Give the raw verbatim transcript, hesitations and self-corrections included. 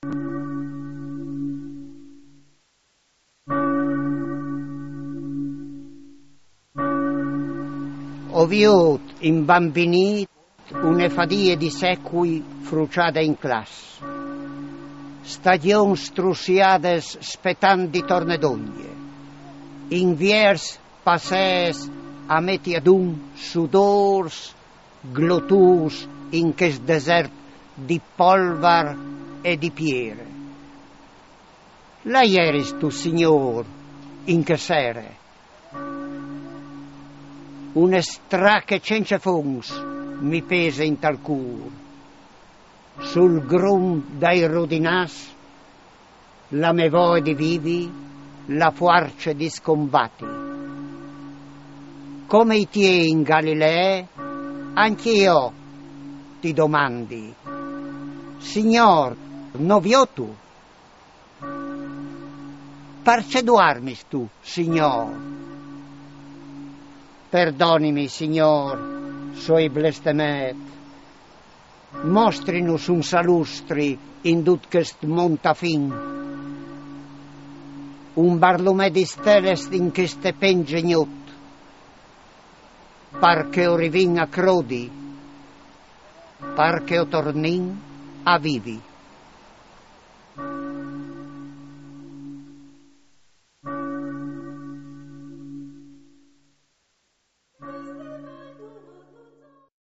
O viôt imbambinît une fadie di secui fruçade in class. Stagjons strussiades spetant di torne dongje. Inviers passês a meti adun sudôrs glotûrs in chest desert di polvar e di piere. Là jeris tu, Signôr, in chê sere. Une strache cence fonts mi pese intal cûr. Sul grum dai rodinâs la mê voie di vivi, la fuarce di scombati. Come i tiei in Galilee, ancje jo ti domandi: Signôr, no viotu? Parcè duarmistu, Signôr? Perdonimi, Signôr, s'o ai blestemêt. Mostrinus un salustri in dut chest mont a fin, un barlumè di steles in cheste pence gnot, par che o rivìn a crodi, par che o tornìn a vivi.